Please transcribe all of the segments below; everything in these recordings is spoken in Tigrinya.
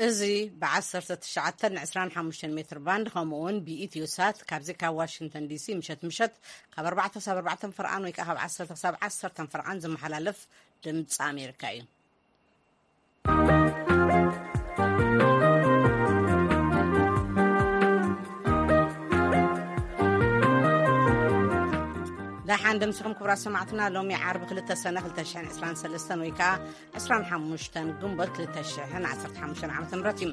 እዚ ብ19 ን25 ሜትር ባንድ፣ ከምኡ እውን ብኢትዮ ሳት ካብዚ ካብ ዋሽንግተን ዲሲ ምሸት ምሸት ካብ ኣርባዕተ ክሳብ ኣርባዕተ ፍርቓን ወይ ከዓ ካብ ዓሰርተ ክሳብ ዓሰርተ ፍርቓን ዝመሓላለፍ ድምፂ ኣሜሪካ እዩ። ደሓን ደምሲኹም ክቡራት ሰማዕትና። ሎሚ ዓርቢ ክልተ ሰነ ክልተ ሽሕን ዕስራን ሰለስተን ወይ ከዓ ዕስራን ሓሙሽተን ግንቦት ክልተ ሽሕን ዓሰርተ ሓሙሽተን ዓመተ ምህረት እዩ።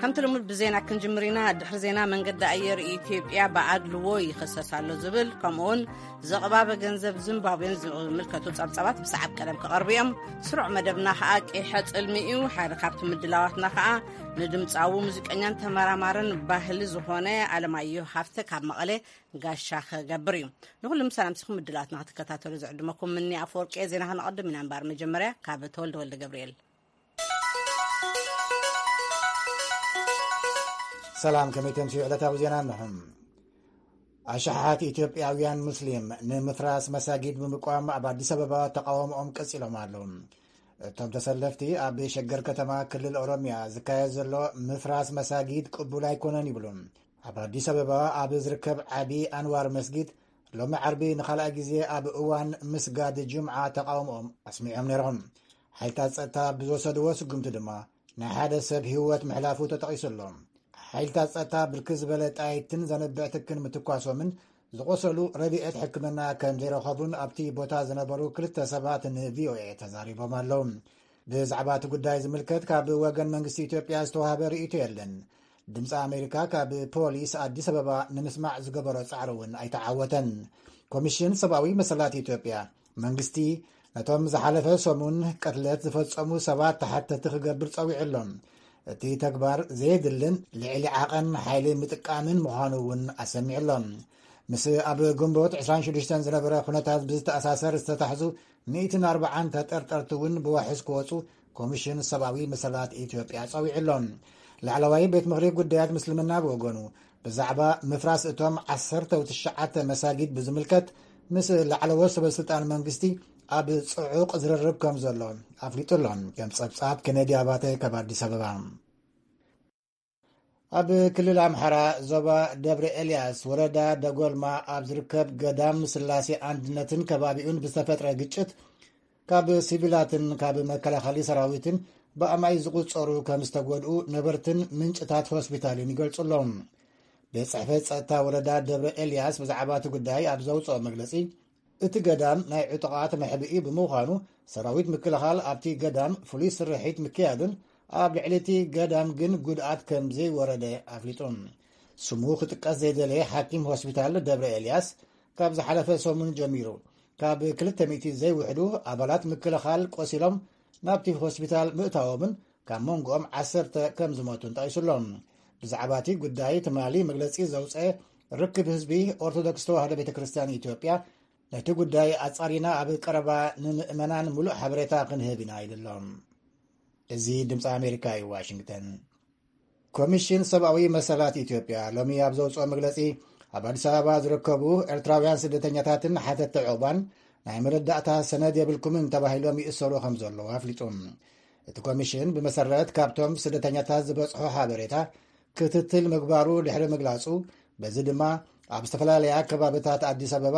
ከምቲ ልሙድ ብዜና ክንጅምር ኢና። ድሕሪ ዜና መንገዲ ኣየር ኢትዮጵያ ብኣድልዎ ይኸሰስ ኣሎ ዝብል፣ ከምኡውን ዘቕባበ ገንዘብ ዚምባብዌን ዝምልከቱ ጸብጻባት ብሰዓብ ቀደም ክቐርቡ እዮም። ስሩዕ መደብና ኸኣ ቂሐ ጽልሚ እዩ። ሓደ ካብቲ ምድላዋትና ኸኣ ንድምጻዊ ሙዚቀኛን ተመራማርን ባህሊ ዝኾነ ኣለማየሁ ሃፍተ ካብ መቐለ ጋሻ ክገብር እዩ። ንኹሉም ሰላምሲኹም ምድላዋትና ክትከታተሉ ዝዕድመኩም ምኒ ኣፈወርቂ። ዜና ከነቐድም ኢና እምበኣር መጀመርያ ካብ ተወልደ ወልደ ገብርኤል። ሰላም፣ ከመይ ተምስዩ ዕለታዊ ዜና እንሆ። ኣሽሓት ኢትዮጵያውያን ሙስሊም ንምፍራስ መሳጊድ ብምቋም ኣብ ኣዲስ ኣበባ ተቃውሞኦም ቀጺሎም ኣለዉ። እቶም ተሰለፍቲ ኣብ ሸገር ከተማ ክልል ኦሮሚያ ዝካየድ ዘሎ ምፍራስ መሳጊድ ቅቡል ኣይኮነን ይብሉ። ኣብ ኣዲስ ኣበባ ኣብ ዝርከብ ዓቢ ኣንዋር መስጊድ ሎሚ ዓርቢ ንኻልኣይ ግዜ ኣብ እዋን ምስጋድ ጅምዓ ተቃውሞኦም ኣስሚዖም ነይሮም። ሓይልታት ጸጥታ ብዝወሰድዎ ስጉምቲ ድማ ናይ ሓደ ሰብ ህይወት ምሕላፉ ተጠቒሱ ኣሎ። ሓይልታት ጸጥታ ብርክት ዝበለ ጣይትን ዘንብዕ ትክን ምትኳሶምን ዝቆሰሉ ረድኤት ሕክምና ከም ዘይረኸቡን ኣብቲ ቦታ ዝነበሩ ክልተ ሰባት ን ቪ ኦ ኤ ተዛሪቦም ኣለዉ። ብዛዕባ እቲ ጉዳይ ዝምልከት ካብ ወገን መንግስቲ ኢትዮጵያ ዝተዋህበ ርእይቶ የለን። ድምፂ ኣሜሪካ ካብ ፖሊስ ኣዲስ ኣበባ ንምስማዕ ዝገበሮ ጻዕሪ እውን ኣይተዓወተን። ኮሚሽን ሰብኣዊ መሰላት ኢትዮጵያ መንግስቲ ነቶም ዝሓለፈ ሰሙን ቅትለት ዝፈጸሙ ሰባት ተሓተቲ ክገብር ጸዊዑ ኣሎ። እቲ ተግባር ዘየድልን ልዕሊ ዓቐን ሓይሊ ምጥቃምን ምዃኑ እውን ኣሰሚዑ ኣሎ። ምስ ኣብ ግንቦት ዕስራን ሽዱሽተን ዝነበረ ኩነታት ብዝተኣሳሰር ዝተታሕዙ ሚእትን ኣርባዓን ተጠርጠርቲ እውን ብዋሕስ ክወፁ ኮሚሽን ሰብኣዊ መሰላት ኢትዮጵያ ጸዊዑ ኣሎ። ላዕለዋይ ቤት ምኽሪ ጉዳያት ምስልምና ብወገኑ ብዛዕባ ምፍራስ እቶም ዓሰርተ ትሽዓተ መሳጊድ ብዝምልከት ምስ ላዕለዎት ሰበስልጣን መንግስቲ ኣብ ጽዑቕ ዝርርብ ከም ዘሎ ኣፍሊጡ ኣሎ። ከም ጸብጻብ ኬነዲ ኣባተ ካብ ኣዲስ ኣበባ። ኣብ ክልል ኣምሓራ ዞባ ደብረ ኤልያስ ወረዳ ደጎልማ ኣብ ዝርከብ ገዳም ስላሴ ኣንድነትን ከባቢኡን ብዝተፈጥረ ግጭት ካብ ሲቪላትን ካብ መከላኸሊ ሰራዊትን ብኣማይ ዝቑጸሩ ከም ዝተጎድኡ ነበርትን ምንጭታት ሆስፒታልን ይገልጹ ኣለዉ። ቤት ጽሕፈት ጸጥታ ወረዳ ደብረ ኤልያስ ብዛዕባ እቲ ጉዳይ ኣብ ዘውጽኦ መግለጺ፣ እቲ ገዳም ናይ ዕጡቓት መሕብኢ ብምዃኑ ሰራዊት ምክልኻል ኣብቲ ገዳም ፍሉይ ስርሒት ምክያዱን ኣብ ልዕሊ እቲ ገዳም ግን ጉድኣት ከም ዘይወረደ ኣፍሊጡ። ስሙ ክጥቀስ ዘይደለየ ሓኪም ሆስፒታል ደብረ ኤልያስ ካብ ዝሓለፈ ሰሙን ጀሚሩ ካብ ክልተ ሚእቲ ዘይውሕዱ ኣባላት ምክልኻል ቆሲሎም ናብቲ ሆስፒታል ምእታዎምን ካብ መንጎኦም ዓሰርተ ከም ዝሞቱን ጠቒሱ ኣሎ። ብዛዕባ እቲ ጉዳይ ትማሊ መግለጺ ዘውፀአ ርክብ ህዝቢ ኦርቶዶክስ ተዋህዶ ቤተ ክርስቲያን ኢትዮጵያ ነቲ ጉዳይ ኣጻሪና ኣብ ቀረባ ንምእመናን ምሉእ ሓበሬታ ክንህብ ኢና ኢሉ ኣሎ። እዚ ድምፂ ኣሜሪካ እዩ፣ ዋሽንግተን። ኮሚሽን ሰብኣዊ መሰላት ኢትዮጵያ ሎሚ ኣብ ዘውፅኦ መግለፂ፣ ኣብ ኣዲስ ኣበባ ዝርከቡ ኤርትራውያን ስደተኛታትን ሓተቲ ዕቑባን ናይ መረዳእታ ሰነድ የብልኩምን ተባሂሎም ይእሰሩ ከም ዘለዉ ኣፍሊጡ። እቲ ኮሚሽን ብመሰረት ካብቶም ስደተኛታት ዝበፅሖ ሓበሬታ ክትትል ምግባሩ ድሕሪ ምግላጹ፣ በዚ ድማ ኣብ ዝተፈላለያ ከባብታት ኣዲስ ኣበባ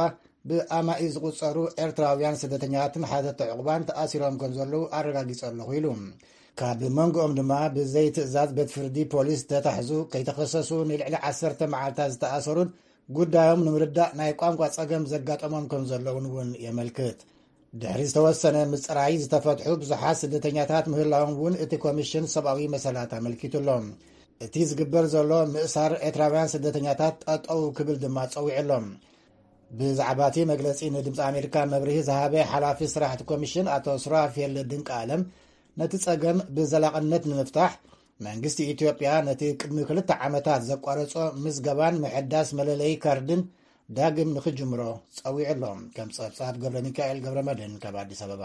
ብኣማኢ ዝቑጸሩ ኤርትራውያን ስደተኛታትን ሓተቲ ዕቑባን ተኣሲሮም ከም ዘለዉ ኣረጋጊጸ ኣለኹ ኢሉ። ካብ መንጎኦም ድማ ብዘይትእዛዝ ቤት ፍርዲ ፖሊስ ዝተታሕዙ፣ ከይተኸሰሱ ንልዕሊ ዓሰርተ መዓልታት ዝተኣሰሩን ጉዳዮም ንምርዳእ ናይ ቋንቋ ጸገም ዘጋጠሞም ከም ዘለውን እውን የመልክት። ድሕሪ ዝተወሰነ ምጽራይ ዝተፈትሑ ብዙሓት ስደተኛታት ምህላዎም እውን እቲ ኮሚሽን ሰብኣዊ መሰላት ኣመልኪቱ ኣሎ። እቲ ዝግበር ዘሎ ምእሳር ኤርትራውያን ስደተኛታት ጠጠው ክብል ድማ ጸዊዑ ኣሎ። ብዛዕባ እቲ መግለጺ ንድምፂ ኣሜሪካ መብርሂ ዝሃበ ሓላፊ ስራሕ እቲ ኮሚሽን ኣቶ ሱራፌል ድንቃለም፣ ነቲ ጸገም ብዘላቕነት ንምፍታሕ መንግስቲ ኢትዮጵያ ነቲ ቅድሚ ክልተ ዓመታት ዘቋረጾ ምዝገባን ምሕዳስ መለለዪ ካርድን ዳግም ንኽጅምሮ ጸዊዑ ኣሎ። ከም ጸብጻብ ገብረ ሚካኤል ገብረ መድህን ካብ ኣዲስ ኣበባ።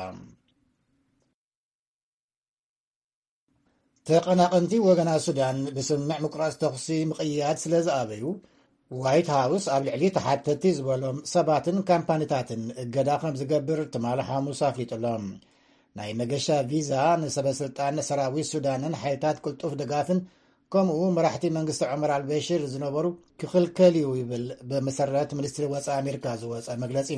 ተቐናቐንቲ ወገናት ሱዳን ብስምምዕ ምቁራጽ ተኹሲ ምቕያድ ስለ ዝኣበዩ፣ ዋይት ሃውስ ኣብ ልዕሊ ተሓተቲ ዝበሎም ሰባትን ካምፓኒታትን እገዳ ከም ዝገብር ትማሊ ሓሙስ ኣፍሊጡ ኣሎ። ናይ መገሻ ቪዛ ንሰበ ስልጣን ሰራዊት ሱዳንን ሓይልታት ቅልጡፍ ድጋፍን ከምኡ መራሕቲ መንግስቲ ዑመር ኣልበሽር ዝነበሩ ክኽልከል እዩ ይብል ብመሰረት ሚኒስትሪ ወፃኢ ኣሜሪካ ዝወፀ መግለፂ።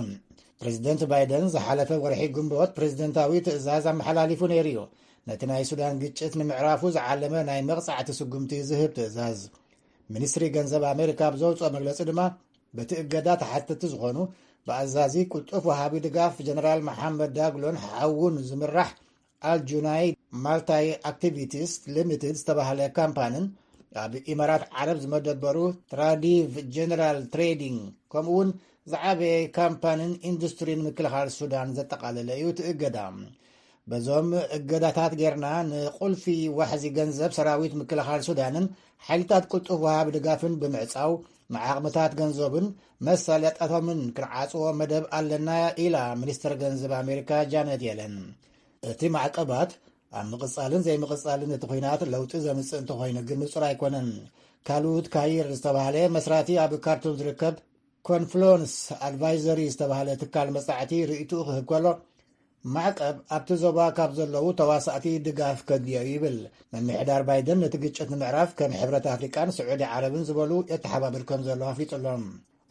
ፕሬዚደንት ባይደን ዝሓለፈ ወርሒ ግንቦት ፕሬዚደንታዊ ትእዛዝ ኣመሓላሊፉ ነይሩ እዩ። ነቲ ናይ ሱዳን ግጭት ንምዕራፉ ዝዓለመ ናይ መቕፃዕቲ ስጉምቲ ዝህብ ትእዛዝ። ሚኒስትሪ ገንዘብ ኣሜሪካ ኣብ ዘውፅኦ መግለፂ ድማ በቲ እገዳ ተሓተቲ ዝኾኑ ብኣዛዚ ቅልጡፍ ወሃቢ ድጋፍ ጀነራል መሓመድ ዳግሎን ሓውን ዝምራሕ ኣልጁናይድ ማልታይ ኣክቲቪቲስ ሊሚትድ ዝተባህለ ካምፓንን ኣብ ኢማራት ዓረብ ዝመደበሩ ትራዲቭ ጀነራል ትሬዲንግ ከምኡውን ዝዓበየ ካምፓንን ኢንዱስትሪን ምክልኻል ሱዳን ዘጠቓለለ እዩ እቲ እገዳ። በዞም እገዳታት ጌርና ንቁልፊ ዋሕዚ ገንዘብ ሰራዊት ምክልኻል ሱዳንን ሓይልታት ቅልጡፍ ወሃቢ ድጋፍን ብምዕጻው ንዓቕምታት ገንዘብን መሳለጥያታቶምን ክንዓጽዎ መደብ ኣለና ኢላ ሚኒስትር ገንዘብ ኣሜሪካ ጃነት የለን። እቲ ማዕቀባት ኣብ ምቕጻልን ዘይምቕጻልን እቲ ኲናት ለውጢ ዘምጽእ እንተኾይኑ ግን ንጹር ኣይኮነን። ካሉድ ካይር ዝተባህለ መስራቲ ኣብ ካርቱም ዝርከብ ኮንፍሎንስ ኣድቫይዘሪ ዝተባህለ ትካል መጻዕቲ ርእይትኡ ክህብ ከሎ፣ ማዕቀብ ኣብቲ ዞባ ካብ ዘለዉ ተዋሳእቲ ድጋፍ ከድልዮ እዩ ይብል። ምምሕዳር ባይደን ነቲ ግጭት ንምዕራፍ ከም ሕብረት ኣፍሪቃን ስዑዲ ዓረብን ዝበሉ የተሓባብር ከም ዘሎ ኣፍሊጡ ኣሎ።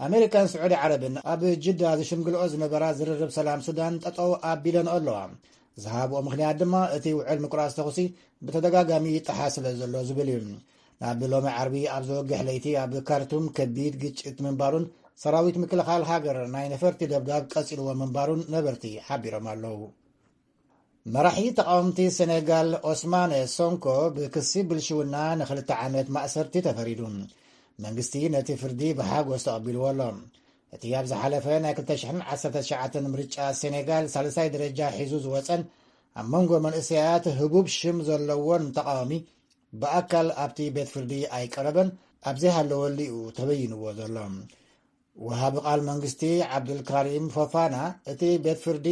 ኣሜሪካን ስዑዲ ዓረብን ኣብ ጅዳ ዝሽምግልኦ ዝነበራ ዝርርብ ሰላም ሱዳን ጠጠው ኣቢለንኦ ኣለዋ። ዝሃብኦ ምኽንያት ድማ እቲ ውዕል ምቁራጽ ተኹሲ ብተደጋጋሚ ይጠሓስ ስለ ዘሎ ዝብል እዩ። ናብ ሎሚ ዓርቢ ኣብ ዘወግሕ ለይቲ ኣብ ካርቱም ከቢድ ግጭት ምንባሩን ሰራዊት ምክልኻል ሃገር ናይ ነፈርቲ ደብዳብ ቀጺልዎ ምንባሩን ነበርቲ ሓቢሮም ኣለዉ። መራሒ ተቃወምቲ ሴኔጋል ኦስማነ ሶንኮ ብክሲ ብልሽውና ንክልተ ዓመት ማእሰርቲ ተፈሪዱ። መንግስቲ ነቲ ፍርዲ ብሓጎስ ተቐቢልዎ ኣሎ። እቲ ኣብ ዝሓለፈ ናይ ክልተ ሽሕን ዓሰርተ ትሽዓተን ምርጫ ሴኔጋል ሳልሳይ ደረጃ ሒዙ ዝወጸን ኣብ መንጎ መንእሰያት ህቡብ ሽም ዘለዎን ተቃዋሚ ብኣካል ኣብቲ ቤት ፍርዲ ኣይቀረበን፣ ኣብ ዘይሃለወሉ እዩ ተበይንዎ ዘሎ። ወሃቢ ቃል መንግስቲ ዓብዱልካሪም ፎፋና፣ እቲ ቤት ፍርዲ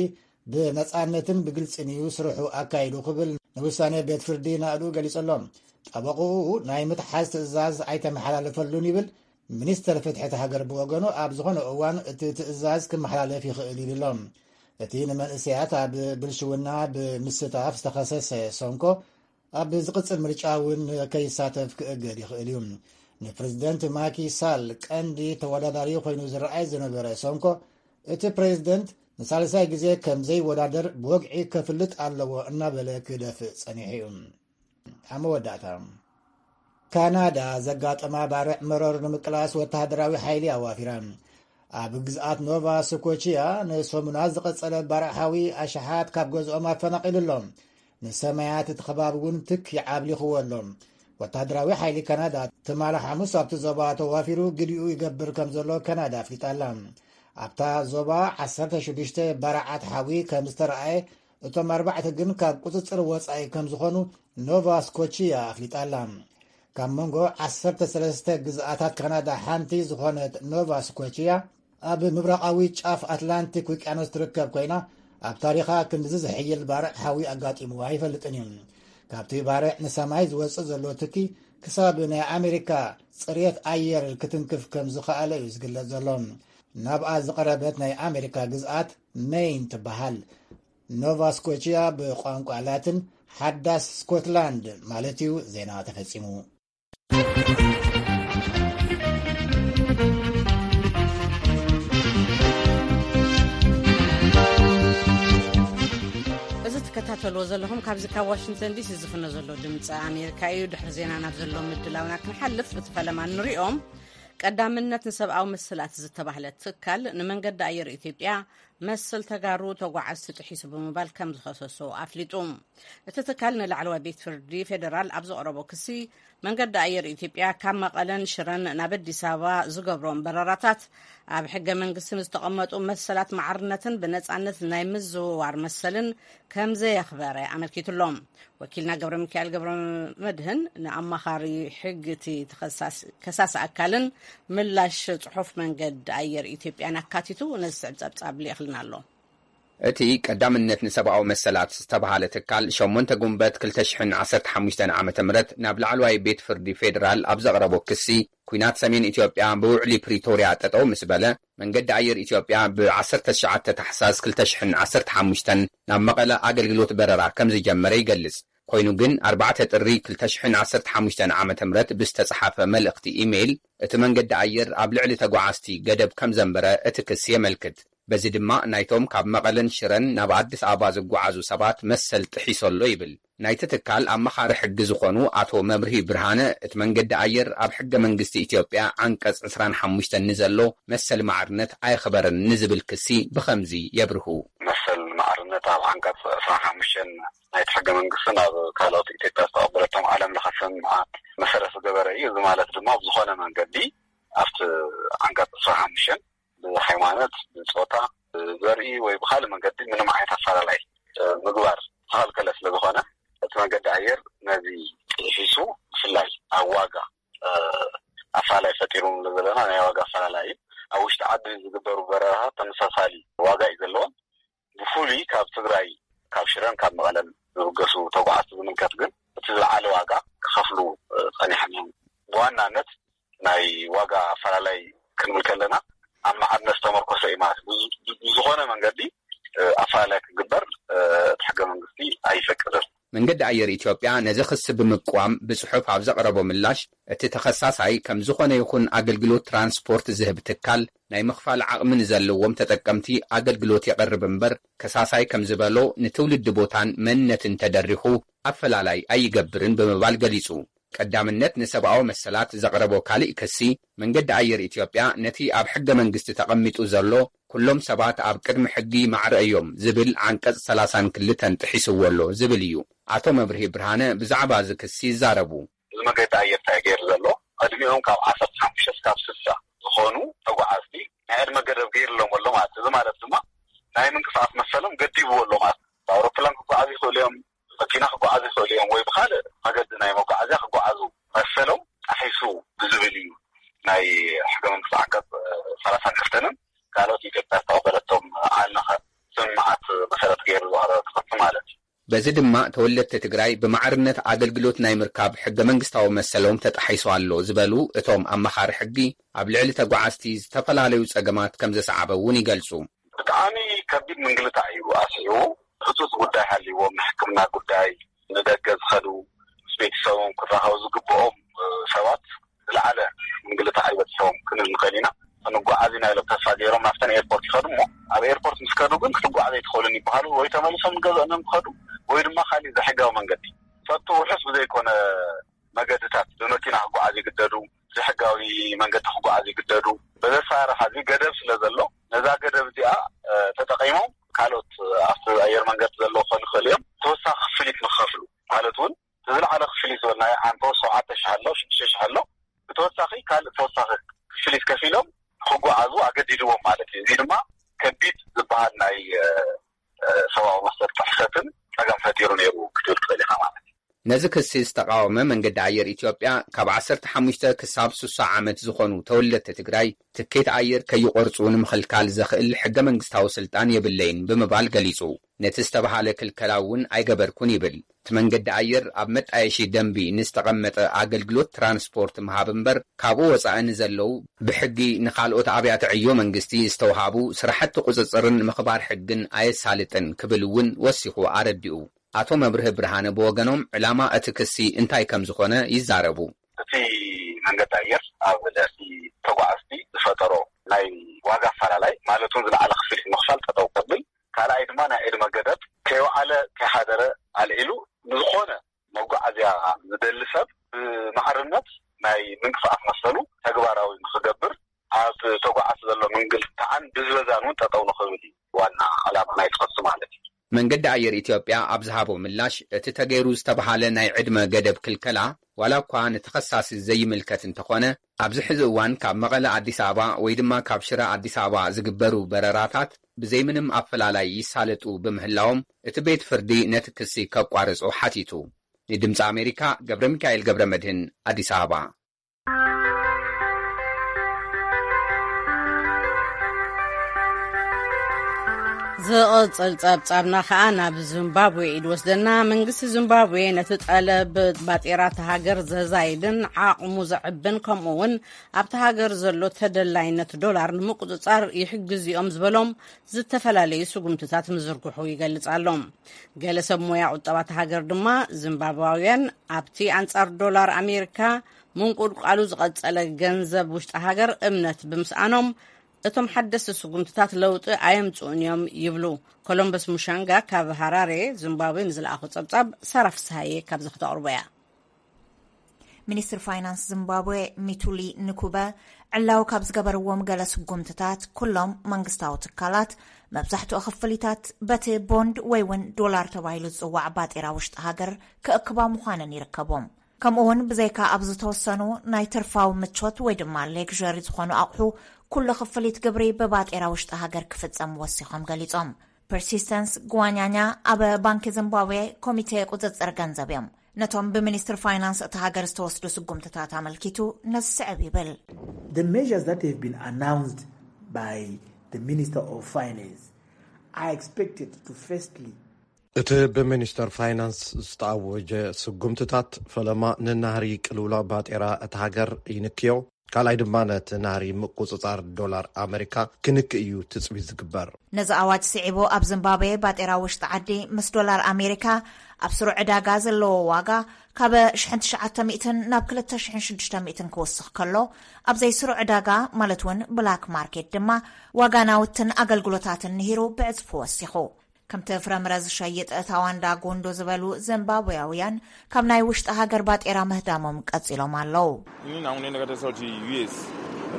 ብነጻነትን ብግልጽን እዩ ስርሑ ኣካይዱ ክብል ንውሳኔ ቤት ፍርዲ ናእዱ ገሊጹ ኣሎ። ጠበቕኡ ናይ ምትሓዝ ትእዛዝ ኣይተመሓላለፈሉን ይብል። ሚኒስተር ፍትሒ እቲ ሃገር ብወገኑ ኣብ ዝኾነ እዋን እቲ ትእዛዝ ክመሓላለፍ ይኽእል ኢሉ ኣሎ። እቲ ንመንእሰያት ኣብ ብልሽውና ብምስታፍ ዝተኸሰሰ ሶንኮ ኣብ ዝቕጽል ምርጫ እውን ከይሳተፍ ክእገድ ይኽእል እዩ። ንፕሬዚደንት ማኪ ሳል ቀንዲ ተወዳዳሪ ኮይኑ ዝረኣይ ዝነበረ ሶንኮ፣ እቲ ፕሬዚደንት ንሳልሳይ ግዜ ከም ዘይወዳደር ብወግዒ ከፍልጥ ኣለዎ እናበለ ክደፍእ ጸኒሑ እዩ። ኣብ መወዳእታ፣ ካናዳ ዘጋጠማ ባርዕ መረር ንምቅላስ ወተሃደራዊ ሓይሊ ኣዋፊራ። ኣብ ግዝኣት ኖቫ ስኮቺያ ንሰሙናት ዝቐጸለ ባርዕ ሓዊ ኣሽሓት ካብ ገዝኦም ኣፈናቒሉ ኣሎ። ንሰማያት እቲ ከባቢ እውን ትክ ይዓብሊኽዎ ኣሎ። ወተሃደራዊ ሓይሊ ካናዳ ትማሊ ሓሙስ ኣብቲ ዞባ ተዋፊሩ ግዲኡ ይገብር ከም ዘሎ ካናዳ ኣፍሊጣ ኣላ። ኣብታ ዞባ ዓሰርተ ሽዱሽተ ባርዓት ሓዊ ከም ዝተረኣየ፣ እቶም ኣርባዕተ ግን ካብ ቁጽጽር ወጻኢ ከም ዝኾኑ ኖቫ ስኮቺያ ኣፍሊጣ ኣላ። ካብ መንጎ ዓሰርተ ሰለስተ ግዝኣታት ካናዳ ሓንቲ ዝኾነት ኖቫ ስኮቺያ ኣብ ምብራቓዊ ጫፍ ኣትላንቲክ ውቅያኖስ ትርከብ ኮይና፣ ኣብ ታሪኻ ክንድዚ ዝሕይል ባርዕ ሓዊ ኣጋጢምዋ ኣይፈልጥን እዩ። ካብቲ ባርዕ ንሰማይ ዝወጽእ ዘሎ ትኪ ክሳብ ናይ ኣሜሪካ ጽሬት ኣየር ክትንክፍ ከም ዝኸኣለ እዩ ዝግለጽ ዘሎ። ናብኣ ዝቐረበት ናይ ኣሜሪካ ግዝኣት ሜይን ትበሃል። ኖቫ ስኮቺያ ብቋንቋ ላትን ሓዳስ ስኮትላንድ ማለት እዩ። ዜና ተፈጺሙ። እዚ ትከታተልዎ ዘለኹም ካብዚ ካብ ዋሽንግተን ዲሲ ዝፍኖ ዘሎ ድምፂ ኣሜሪካ እዩ። ድሕሪ ዜና ናብ ዘሎ ምድላውና ክንሓልፍ፣ እቲ ፈለማ ንሪኦም። ቀዳምነት ንሰብኣዊ መሰላት ዝተባህለ ትካል ንመንገዲ ኣየር ኢትዮጵያ መሰል ተጋሩ ተጓዓዝቲ ጥሒሱ ብምባል ከም ዝኸሰሶ ኣፍሊጡ። እቲ ትካል ንላዕለዋይ ቤት ፍርዲ ፌደራል ኣብ ዘቕረቦ ክሲ፣ መንገዲ ኣየር ኢትዮጵያ ካብ መቐለን ሽረን ናብ ኣዲስ ኣበባ ዝገብሮም በረራታት ኣብ ሕገ መንግስቲ ንዝተቐመጡ መሰላት ማዕርነትን ብነጻነት ናይ ምዝውዋር መሰልን ከም ዘየኽበረ ኣመልኪቱ ኣሎ። ወኪልና ገብረ ሚካኤል ገብረ መድህን ንኣማኻሪ ሕጊ እቲ ተኸሳሲ፣ ከሳሲ ኣካልን ምላሽ ጽሑፍ መንገዲ ኣየር ኢትዮጵያን ኣካቲቱ ነዚ ስዕብ ጸብጻብ ልኢኽልና ኣሎ። እቲ ቀዳምነት ንሰብኣዊ መሰላት ዝተባህለ ትካል ሸሞንተ ጉንበት ክልተ ሽሕን ዓሰርተ ሓሙሽተን ዓመተ ምህረት ናብ ላዕለዋይ ቤት ፍርዲ ፌደራል ኣብ ዘቕረቦ ክሲ፣ ኲናት ሰሜን ኢትዮጵያ ብውዕሊ ፕሪቶርያ ጠጠው ምስ በለ፣ መንገዲ ኣየር ኢትዮጵያ ብ ዓሰርተ ትሽዓተ ታሕሳስ ክልተ ሽሕን ዓሰርተ ሓሙሽተን ናብ መቐለ ኣገልግሎት በረራ ከም ዝጀመረ ይገልጽ። ኮይኑ ግን ኣርባዕተ ጥሪ ክልተ ሽሕን ዓሰርተ ሓሙሽተን ዓመተ ምህረት ብዝተጻሓፈ መልእኽቲ ኢሜይል፣ እቲ መንገዲ ኣየር ኣብ ልዕሊ ተጓዓዝቲ ገደብ ከም ዘንበረ እቲ ክሲ የመልክት። በዚ ድማ ናይቶም ካብ መቐለን ሽረን ናብ ኣዲስ ኣበባ ዝጓዓዙ ሰባት መሰል ጥሒሱ ኣሎ ይብል። ናይቲ ትካል ኣማኻሪ ሕጊ ዝኾኑ ኣቶ መብርሂ ብርሃነ፣ እቲ መንገዲ ኣየር ኣብ ሕገ መንግስቲ ኢትዮጵያ ዓንቀጽ ዕስራን ሓሙሽተን ንዘሎ መሰል ማዕርነት ኣየኽበረን ንዝብል ክሲ ብኸምዚ የብርሁ። መሰል ማዕርነት ኣብ ዓንቀጽ ዕስራን ሓሙሽተን ናይቲ ሕገ መንግስትን ኣብ ካልኦት ኢትዮጵያ ዝተቐበለቶም ዓለም ለኸ ስምምዓት መሰረት ዝገበረ እዩ። እዚ ማለት ድማ ብዝኾነ መንገዲ ኣብቲ ዓንቀጽ ዕስራን ሓሙሽተን ብሃይማኖት፣ ብጾታ፣ ብዘርኢ ወይ ብኻልእ መንገዲ ምንም ዓይነት ኣፈላላይ ምግባር ዝተኸልከለ ስለ ዝኾነ፣ እቲ መንገዲ ኣየር ነዚ ጥሒሱ፣ ብፍላይ ኣብ ዋጋ ኣፈላላይ ፈጢሩ ንብሎ ዘለና ናይ ዋጋ ኣፈላላይ እዩ። ኣብ ውሽጢ ዓዲ ዝግበሩ በረራታት ተመሳሳሊ ዋጋ እዩ ዘለዎም። ብፍሉይ ካብ ትግራይ፣ ካብ ሽረን ካብ መቐለን ዝብገሱ ተጓዓዝቲ ዝምልከት ግን እቲ ዝለዓለ ዋጋ ክኸፍሉ ጸኒሖም እዮም። ብዋናነት ናይ ዋጋ ኣፈላላይ ክንብል ከለና ኣብ ማዕርነት ዝተመርኮሰ እዩ ማለት እዩ። ብዝ-፣ ብዝኾነ መንገዲ ኣፈላላይ ክግበር እቲ ሕገ መንግስቲ ኣይፈቅድን። መንገዲ ኣየር ኢትዮጵያ ነዚ ክሲ ብምቅዋም ብጽሑፍ ኣብ ዘቕረቦ ምላሽ፣ እቲ ተኸሳሳይ ከም ዝኾነ ይኹን ኣገልግሎት ትራንስፖርት ዝህብ ትካል ናይ ምኽፋል ዓቕሚ ንዘለዎም ተጠቀምቲ ኣገልግሎት የቕርብ እምበር፣ ከሳሳይ ከም ዝበሎ ንትውልዲ ቦታን መንነትን ተደሪኹ ኣፈላላይ ኣይገብርን ብምባል ገሊጹ። ቀዳምነት ንሰብኣዊ መሰላት ዘቕረቦ ካልእ ክሲ፣ መንገዲ ኣየር ኢትዮጵያ ነቲ ኣብ ሕገ መንግስቲ ተቐሚጡ ዘሎ "ኩሎም ሰባት ኣብ ቅድሚ ሕጊ ማዕረ እዮም" ዝብል ዓንቀጽ ሰላሳን ክልተን ጥሒስዎ ኣሎ ዝብል እዩ። ኣቶ መብርሂ ብርሃነ ብዛዕባ እዚ ክሲ ይዛረቡ። እዚ መገዲ ኣየር እንታይ ገይሩ ዘሎ? ዕድሚኦም ካብ ዓሰርተ ሓሙሽተ እስካብ ስልሳ ዝኾኑ ተጓዓዝቲ ናይ ዕድመ ገደብ ገይርሎም ኣሎ ማለት እዩ። እዚ ማለት ድማ ናይ ምንቅስቃስ መሰሎም ገዲብዎ ኣሎ ማለት እዩ። ብኣውሮፕላን ክጓዓዙ ይኽእሉ እዮም፣ መኪና ክጓዓዙ ይኽእሉ እዮም፣ ወይ ብኻልእ መገዲ ናይ መጓዓዝያ ክጓዓዙ መሰሎም ጣሒሱ ብዝብል እዩ ናይ ሕገ መንግስቲ ዓንቀጽ ሰላሳን ክልተንን ካልኦት ኢትዮጵያ ዝተቐበለቶም ዓለምለኸ ስምምዓት መሰረት ገይሩ ዝቐረበ ክሲ ማለት እዩ። በዚ ድማ ተወለድቲ ትግራይ ብማዕርነት ኣገልግሎት ናይ ምርካብ ሕገ መንግስታዊ መሰሎም ተጣሒሱ ኣሎ ዝበሉ እቶም ኣማኻሪ ሕጊ፣ ኣብ ልዕሊ ተጓዓዝቲ ዝተፈላለዩ ጸገማት ከም ዘስዓበ እውን ይገልጹ። ብጣዕሚ ከቢድ ምንግልታዕ እዩ ኣስዒቡ። ህጹጽ ጉዳይ ሃልይዎም፣ ንሕክምና ጉዳይ፣ ንደገ ዝኸዱ፣ ምስ ቤተሰቦም ክራኸቡ ዝግብኦም ሰባት ዝለዓለ ምንግልታዕ ይበጽሖም ክንብል ንኽእል ኢና። ክንጓዓዝ ኢና ኢሎም ተስፋ ገይሮም ናብተን ኤርፖርት ይኸዱ እሞ፣ ኣብ ኤርፖርት ምስ ከዱ ግን ክትጓዓዝ ኣይትኽእሉን ይበሃሉ፣ ወይ ተመሊሶም ንገዝኦም እዮም ክኸዱ፣ ወይ ድማ ካሊእ ዘይሕጋዊ መንገዲ፣ ፈቱ ውሑስ ብዘይኮነ መገድታት ብመኪና ክጓዓዝ ይግደዱ፣ ዘይሕጋዊ መንገዲ ክጓዓዝ ይግደዱ። በዚ ኣሰራርሓ እዚ ገደብ ስለ ዘሎ፣ ነዛ ገደብ እዚኣ ተጠቒሞም ካልኦት ኣብቲ ኣየር መንገዲ ዘለዉ ክኾኑ ይኽእሉ እዮም፣ ተወሳኺ ክፍሊት ንክኸፍሉ፣ ማለት እውን እቲ ዝለዓለ ክፍሊት ዝበልናዮ ዓንተወት ሸውዓተ ሽሕ ኣሎ፣ ሽዱሽተ ሽሕ ኣሎ፣ ብተወሳኺ ካልእ ተወሳኺ ክፍሊት ከፊሎም ክጓዓዙ ኣገዲድዎም ማለት እዩ። እዚ ድማ ከቢድ ዝበሃል ናይ ሰብኣዊ መሰል ጥሕሰትን ጸገም ፈጢሩ ነይሩ ክትብል ትኽእል ኢኻ ማለት እዩ። ነዚ ክሲ ዝተቓወመ መንገዲ ኣየር ኢትዮጵያ፣ ካብ ዓሰርተ ሓሙሽተ ክሳብ ስሳ ዓመት ዝኾኑ ተወለድቲ ትግራይ ትኬት ኣየር ከይቆርጹ ንምኽልካል ዘኽእል ሕገ መንግስታዊ ስልጣን የብለይን ብምባል ገሊጹ። ነቲ ዝተባሃለ ክልከላ እውን ኣይገበርኩን ይብል። እቲ መንገዲ ኣየር ኣብ መጣየሺ ደንቢ ንዝተቐመጠ ኣገልግሎት ትራንስፖርት ምሃብ እምበር፣ ካብኡ ወጻኢ ንዘለዉ ብሕጊ ንኻልኦት ኣብያተ ዕዮ መንግስቲ ዝተውሃቡ ስራሕቲ ቁጽጽርን ምኽባር ሕግን ኣየሳልጥን ክብል እውን ወሲኹ ኣረዲኡ። ኣቶ መብርህ ብርሃነ ብወገኖም ዕላማ እቲ ክሲ እንታይ ከም ዝኾነ ይዛረቡ። እቲ መንገዲ ኣየር ኣብ ልዕሊ ተጓዓዝቲ ዝፈጠሮ ናይ ዋጋ ኣፈላላይ፣ ማለት እውን ዝለዓለ ክፍሊት ምኽፋል ጠጠው ከብል፣ ካልኣይ ድማ ናይ ዕድመ ገደብ ከይወዓለ ከይሓደረ ኣልዒሉ ንዝኾነ መጓዓዝያ ዝደሊ ሰብ ብማዕርነት ናይ ምንቅስቃስ መሰሉ ተግባራዊ ንክገብር፣ ኣብ ተጓዓዝቲ ዘሎ ምንግልታዕን ብዝበዛን እውን ጠጠው ንክብል እዩ ዋና ዕላማ ናይ ጽሑፍቲ ማለት እዩ። መንገዲ ኣየር ኢትዮጵያ ኣብ ዝሃቦ ምላሽ፣ እቲ ተገይሩ ዝተባሃለ ናይ ዕድመ ገደብ ክልከላ ዋላ እኳ ንተኸሳሲ ዘይምልከት እንተኾነ፣ ኣብዚ ሕዚ እዋን ካብ መቐለ ኣዲስ ኣበባ ወይ ድማ ካብ ሽረ ኣዲስ ኣበባ ዝግበሩ በረራታት ብዘይምንም ኣፈላላይ ይሳለጡ ብምህላዎም፣ እቲ ቤት ፍርዲ ነቲ ክሲ ከቋርጾ ሓቲቱ። ንድምፂ ኣሜሪካ ገብረ ሚካኤል ገብረ መድህን፣ ኣዲስ ኣበባ። ዝቕጽል ጸብጻብና ከኣ ናብ ዚምባብዌ እዩ ዝወስደና። መንግስቲ ዚምባብዌ ነቲ ጠለብ ባጤራ እታ ሃገር ዘዛይድን ዓቕሙ ዘዕብን፣ ከምኡ እውን ኣብቲ ሃገር ዘሎ ተደላይነት ዶላር ንምቁጽጻር ይሕግዙ እዮም ዝበሎም ዝተፈላለዩ ስጉምትታት ምዝርግሑ ይገልጽ ኣሎ። ገለ ሰብ ሞያ ቁጠባ እታ ሃገር ድማ፣ ዚምባብዋውያን ኣብቲ ኣንጻር ዶላር ኣሜሪካ ምንቁልቋሉ ዝቐጸለ ገንዘብ ውሽጢ ሃገር እምነት ብምስኣኖም፣ እቶም ሓደስቲ ስጉምትታት ለውጢ ኣየምጽኡን እዮም ይብሉ። ኮሎምበስ ሙሻንጋ ካብ ሃራሬ ዚምባብዌ ንዝለኣኹ ጸብጻብ ሳራ ፍስሃየ ካብዚ ክተቕርቦ እያ። ሚኒስትር ፋይናንስ ዚምባብዌ ሚቱሊ ንኩበ ዕላዊ ካብ ዝገበርዎም ገለ ስጉምትታት፣ ኩሎም መንግስታዊ ትካላት መብዛሕትኡ ክፍሊታት በቲ ቦንድ ወይ እውን ዶላር ተባሂሉ ዝጽዋዕ ባጤራ ውሽጢ ሃገር ክእክባ ምዃነን ይርከቦም። ከምኡ እውን ብዘይካ ኣብ ዝተወሰኑ ናይ ትርፋዊ ምቾት ወይ ድማ ሌግዠሪ ዝኾኑ ኣቑሑ፣ ኩሉ ክፍሊት ግብሪ ብባጤራ ውሽጢ ሃገር ክፍጸም ወሲኾም ገሊጾም። ፐርሲስተንስ ግዋኛኛ ኣብ ባንኪ ዚምባብዌ ኮሚቴ ቁጽጽር ገንዘብ እዮም። ነቶም ብሚኒስትር ፋይናንስ እታ ሃገር ዝተወስዱ ስጉምትታት ኣመልኪቱ ነዚ ስዕብ ይብል። The measures that have been announced by the Minister of Finance are expected to firstly እቲ ብሚኒስተር ፋይናንስ ዝተኣወጀ ስጉምትታት ፈለማ ንናህሪ ቅልውላው ባጤራ እታ ሃገር ይንክዮ፣ ካልኣይ ድማ ነቲ ናህሪ ምቁጽጻር ዶላር ኣመሪካ ክንክ እዩ ትጽቢት ዝግበር። ነዚ ኣዋጅ ስዒቡ ኣብ ዚምባብዌ ባጤራ ውሽጢ ዓዲ ምስ ዶላር ኣሜሪካ ኣብ ስሩዕ ዕዳጋ ዘለዎ ዋጋ ካብ ሽሕን ትሽዓተ ሚእትን ናብ ክልተ ሽሕን ሽዱሽተ ሚእትን ክውስኽ ከሎ፣ ኣብ ዘይስሩዕ ዕዳጋ ማለት እውን ብላክ ማርኬት ድማ ዋጋ ናውትን ኣገልግሎታትን ንሂሩ ብዕጽፊ ወሲኹ። ከምቲ ፍረምረ ዝሸይጥ ታዋንዳ ጎንዶ ዝበሉ ዚምባብዌያውያን ካብ ናይ ውሽጢ ሃገር ባጤራ ምህዳሞም ቀጺሎም ኣለዉ። Ini nangu nene katesa kuti U S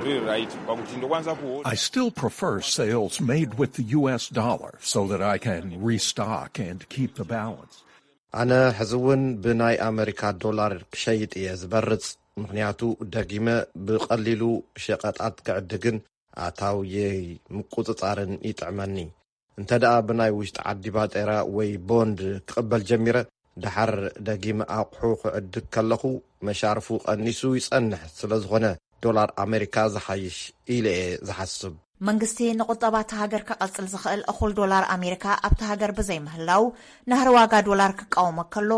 riri right pakuti ndokwanisa kuho I still prefer sales made with the U S dollar so that I can restock and keep the balance. ኣነ ሕዚ እውን ብናይ ኣመሪካ ዶላር ክሸይጥ እየ ዝበርጽ፣ ምኽንያቱ ደጊመ ብቐሊሉ ሸቐጣት ክዕድግን ኣታውየይ ምቁጽጻርን ይጥዕመኒ። እንተ ደኣ ብናይ ውሽጢ ዓዲ ባጤራ ወይ ቦንድ ክቕበል ጀሚረ፣ ደሓር ደጊመ ኣቑሑ ክዕድግ ከለኹ መሻርፉ ቀኒሱ ይጸንሕ። ስለ ዝኾነ ዶላር ኣሜሪካ ዝሓይሽ ኢለ እየ ዝሓስብ። መንግስቲ ንቁጠባ እታ ሃገር ከቐጽል ዝኽእል እኹል ዶላር ኣሜሪካ ኣብታ ሃገር ብዘይምህላው፣ ናህሪ ዋጋ ዶላር ክቃወሞ ከሎ፣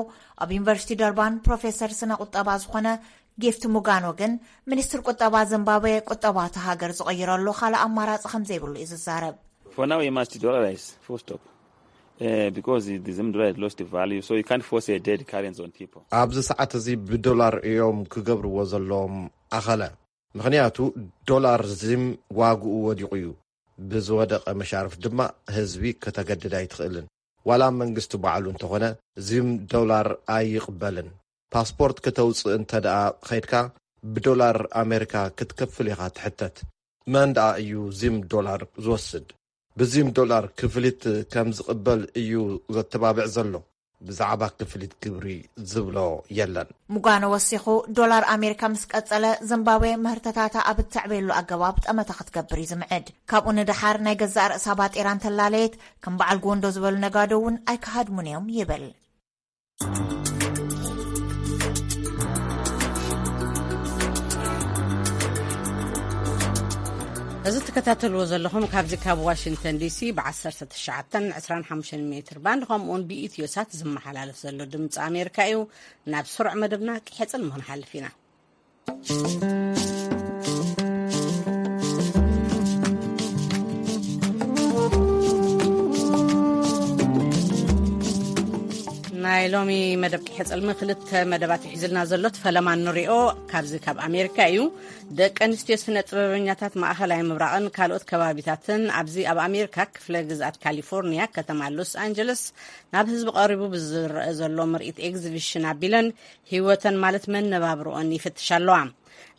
ኣብ ዩኒቨርሲቲ ደርባን ፕሮፌሰር ስነ ቁጠባ ዝኾነ ጊፍት ሙጋኖ ግን፣ ሚኒስትር ቁጠባ ዚምባብዌ ቁጠባ እታ ሃገር ዝቕይረሉ ካልእ ኣማራጺ ከም ዘይብሉ እዩ ዝዛረብ። For now, we must dollarize, full stop. Uh, because the Zim dollar has lost value, so you can't force a dead currency on people. ኣብዚ ሰዓት እዚ ብዶላር እዮም ክገብርዎ ዘለዎም ኣኸለ። ምኽንያቱ ዶላር ዚም ዋግኡ ወዲቑ እዩ። ብዝወደቐ መሻርፍ ድማ ህዝቢ ከተገድድ ኣይትኽእልን። ዋላ መንግስቲ ባዕሉ እንተኾነ ዚም ዶላር ኣይቕበልን። ፓስፖርት ከተውፅእ እንተ ደኣ ኸይድካ ብዶላር ኣሜሪካ ክትከፍል ኢኻ ትሕተት። መን ደኣ እዩ ዚም ዶላር ዝወስድ? ብዚም ዶላር ክፍሊት ከም ዝቕበል እዩ ዘተባብዕ ዘሎ። ብዛዕባ ክፍሊት ግብሪ ዝብሎ የለን። ሙጋኖ ወሲኹ፣ ዶላር ኣሜሪካ ምስ ቀጸለ፣ ዚምባብዌ ምህርትታታ ኣብ እተዕበየሉ ኣገባብ ጠመተ ክትገብር እዩ ዝምዕድ። ካብኡ ንደሓር ናይ ገዛእ ርእሳ ባጤራ እንተላለየት፣ ከም በዓል ጎንዶ ዝበሉ ነጋዶ እውን ኣይክሃድሙን እዮም ይብል። እዚ ትከታተልዎ ዘለኹም ካብዚ ካብ ዋሽንግተን ዲሲ ብ19 ን25 ሜትር ባንድ ከምኡውን ብኢትዮ ሳት ዝመሓላለፍ ዘሎ ድምፂ ኣሜሪካ እዩ። ናብ ስሩዕ መደብና ክሕፅል ምህንሓልፍ ኢና። ናይ ሎሚ መደብ ክሕፅልሚ ክልተ መደባት ይሒዝልና ዘሎ ፈለማ ንሪኦ ካብዚ ካብ ኣሜሪካ እዩ። ደቂ ኣንስትዮ ስነ ጥበበኛታት ማእኸላይ ምብራቕን ካልኦት ከባቢታትን ኣብዚ ኣብ ኣሜሪካ ክፍለ ግዝኣት ካሊፎርኒያ ከተማ ሎስ ኣንጀለስ ናብ ህዝቢ ቀሪቡ ብዝረአ ዘሎ ምርኢት ኤግዚቢሽን ኣቢለን ህይወተን ማለት መነባብርኦን ይፍትሻ ኣለዋ።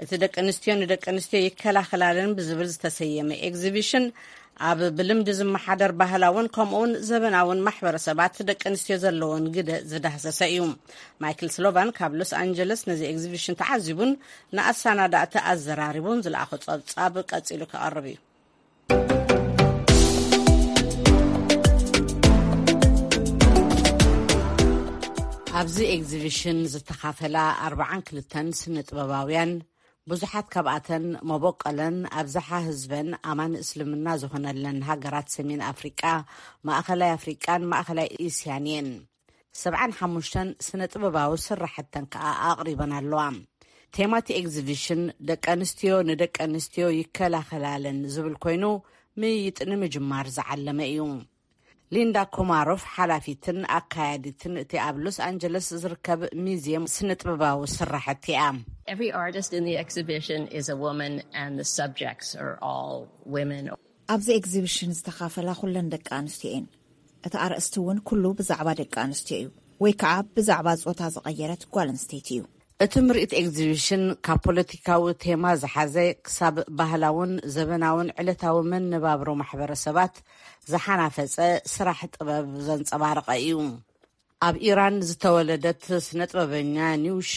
እቲ ደቂ ኣንስትዮ ንደቂ ኣንስትዮ ይከላኸላለን ብዝብል ዝተሰየመ ኤግዚቢሽን ኣብ ብልምዲ ዝመሓደር ባህላውን ከምኡውን ዘበናውን ማሕበረሰባት ደቂ ኣንስትዮ ዘለዎን ግደ ዝዳህሰሰ እዩ። ማይክል ስሎቫን ካብ ሎስ ኣንጀለስ ነዚ ኤግዚቢሽን ተዓዚቡን ንኣሰናዳእቲ ኣዘራሪቡን ዝለኣኾ ጸብጻብ ቀጺሉ ክቐርብ እዩ። ኣብዚ ኤግዚቢሽን ዝተኻፈላ ኣርባዓን ክልተን ስነ ጥበባውያን ብዙሓት ካብኣተን መበቆለን ኣብዝሓ ህዝበን ኣማኒ እስልምና ዝኾነለን ሃገራት ሰሜን ኣፍሪቃ፣ ማእኸላይ ኣፍሪቃን ማእኸላይ እስያን እየን። ሰብዓን ሓሙሽተን ስነ ጥበባዊ ስራሕተን ከኣ ኣቕሪበን ኣለዋ። ቴማቲ ኤግዚቢሽን ደቂ ኣንስትዮ ንደቂ ኣንስትዮ ይከላኸላለን ዝብል ኮይኑ፣ ምይይጥ ንምጅማር ዝዓለመ እዩ። ሊንዳ ኮማሮፍ ሓላፊትን ኣካያዲትን እቲ ኣብ ሎስ ኣንጀለስ ዝርከብ ሚዝየም ስነ ጥበባዊ ስራሕቲ እያ። Every artist in the exhibition is a woman, and the subjects are all women. ኣብዚ ኤግዚቢሽን ዝተኻፈላ ኩለን ደቂ ኣንስትዮ እየን። እቲ ኣርእስቲ እውን ኩሉ ብዛዕባ ደቂ ኣንስትዮ እዩ፣ ወይ ከዓ ብዛዕባ ጾታ ዝቐየረት ጓል ኣንስተይቲ እዩ። እቲ ምርኢት ኤግዚቢሽን ካብ ፖለቲካዊ ቴማ ዝሓዘ ክሳብ ባህላውን ዘበናውን ዕለታዊ መነባብሮ ማሕበረሰባት ዝሓናፈጸ ስራሕ ጥበብ ዘንጸባረቐ እዩ። ኣብ ኢራን ዝተወለደት ስነ ጥበበኛ ኒውሻ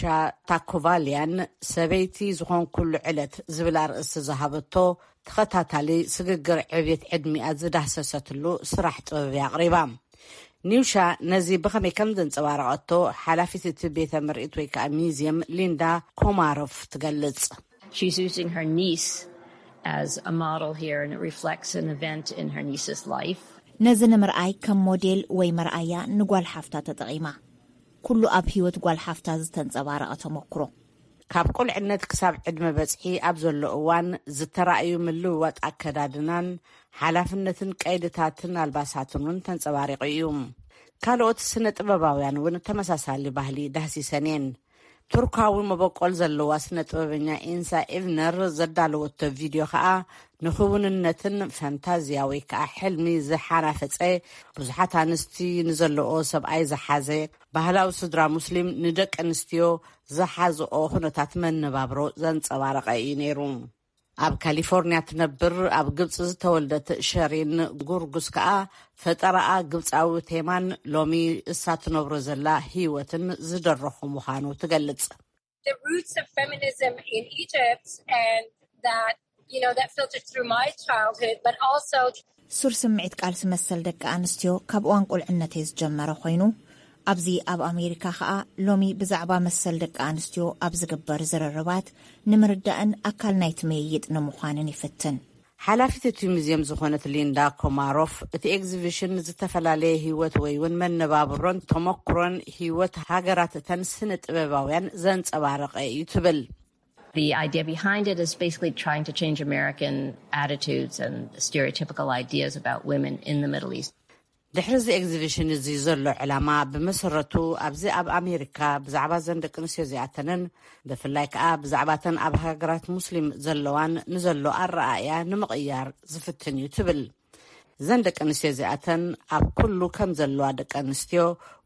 ታኮቫልያን፣ ሰበይቲ ዝኾንኩሉ ዕለት ዝብል ኣርእስቲ ዝሃበቶ ተኸታታሊ ስግግር ዕብየት ዕድሚኣ ዝዳህሰሰትሉ ስራሕ ጥበብ እያ ኣቕሪባ። ኒውሻ ነዚ ብኸመይ ከም ዘንጸባረቐቶ ሓላፊት እቲ ቤተ ምርኢት ወይ ከዓ ሚዝየም ሊንዳ ኮማሮፍ ትገልጽ። She's using her niece as a model here, and it reflects an event in her niece's life. ነዚ ንምርኣይ ከም ሞዴል ወይ መርኣያ ንጓል ሓፍታ ተጠቒማ። ኩሉ ኣብ ህይወት ጓል ሓፍታ ዝተንጸባረቐ ተመክሮ። ካብ ቁልዕነት ክሳብ ዕድመ በጽሒ ኣብ ዘሎ እዋን ዝተራእዩ ምልውዋጥ ኣከዳድናን ሓላፍነትን ቀይድታትን ኣልባሳትን እውን ተንጸባሪቑ እዩ። ካልኦት ስነ ጥበባውያን እውን ተመሳሳሊ ባህሊ ዳህሲሰን እየን። ቱርካዊ መበቆል ዘለዋ ስነ ጥበበኛ ኢንሳ ኢቭነር ዘዳለወቶ ቪድዮ ከኣ ንኽውንነትን ፈንታዝያ ወይ ከኣ ሕልሚ ዝሓናፈጸ፣ ብዙሓት ኣንስቲ ንዘለኦ ሰብኣይ ዝሓዘ፣ ባህላዊ ስድራ ሙስሊም ንደቂ ኣንስትዮ ዝሓዝኦ ኩነታት መነባብሮ ዘንጸባረቐ እዩ ነይሩ። ኣብ ካሊፎርኒያ ትነብር ኣብ ግብጺ ዝተወልደት ሸሪን ጉርጉስ ከኣ ፈጠራኣ ግብጻዊ ቴማን ሎሚ እሳ ትነብሮ ዘላ ህይወትን ዝደረኹ ምዃኑ ትገልጽ። The roots of feminism in Egypt and that you know that filtered through my childhood, but also ሱር ስምዒት ቃልሲ መሰል ደቂ ኣንስትዮ ካብ እዋን ቁልዕነተይ ዝጀመረ ኮይኑ፣ ኣብዚ ኣብ ኣሜሪካ ከኣ ሎሚ ብዛዕባ መሰል ደቂ ኣንስትዮ ኣብ ዝግበር ዝርርባት ንምርዳእን ኣካል ናይቲ ምይይጥ ንምዃንን ይፍትን። ሓላፊት እቲ ሙዝየም ዝኾነት ሊንዳ ኮማሮፍ፣ እቲ ኤግዚቢሽን ዝተፈላለየ ህይወት ወይ እውን መነባብሮን ተመክሮን ህይወት ሃገራት እተን ስነ ጥበባውያን ዘንጸባረቐ እዩ ትብል። The idea behind it is basically trying to change American attitudes and stereotypical ideas about women in the Middle East. ድሕሪ እዚ ኤግዚቢሽን እዚ ዘሎ ዕላማ ብመሰረቱ ኣብዚ ኣብ ኣሜሪካ ብዛዕባ ዘን ደቂ ኣንስትዮ እዚኣተንን ብፍላይ ከኣ ብዛዕባተን ኣብ ሃገራት ሙስሊም ዘለዋን ንዘሎ ኣረኣእያ ንምቕያር ዝፍትን እዩ ትብል። ዘን ደቂ ኣንስትዮ እዚኣተን ኣብ ኩሉ ከም ዘለዋ ደቂ ኣንስትዮ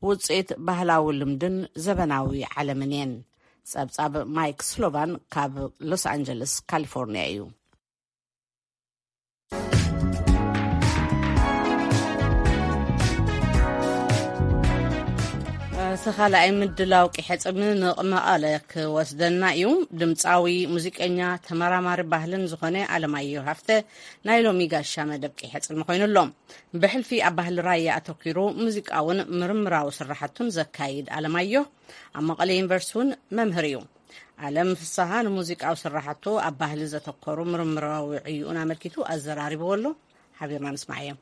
ውፅኢት ባህላዊ ልምድን ዘበናዊ ዓለምን እየን። ጸብጻብ ማይክ ስሎቫን ካብ ሎስ ኣንጀለስ ካሊፎርኒያ እዩ። እቲ ካልኣይ ምድላው ቂሐ ጽምንቕ መቐለ ክወስደና እዩ። ድምፃዊ ሙዚቀኛ ተመራማሪ ባህልን ዝኾነ ኣለማየሁ ሃፍተ ናይ ሎሚ ጋሻ መደብ ቂሐ ጽልሚ ኮይኑ ኣሎ። ብሕልፊ ኣብ ባህሊ ራያ ኣተኪሩ ሙዚቃውን ምርምራዊ ስራሕቱን ዘካይድ ኣለማየሁ ኣብ መቐለ ዩኒቨርሲቲ እውን መምህር እዩ። ኣለም ፍስሃ ንሙዚቃዊ ስራሕቱ ኣብ ባህሊ ዘተኮሩ ምርምራዊ ዕዩኡን ኣመልኪቱ ኣዘራሪብዎ ኣሎ። ሓቢርና ንስማዓዮ።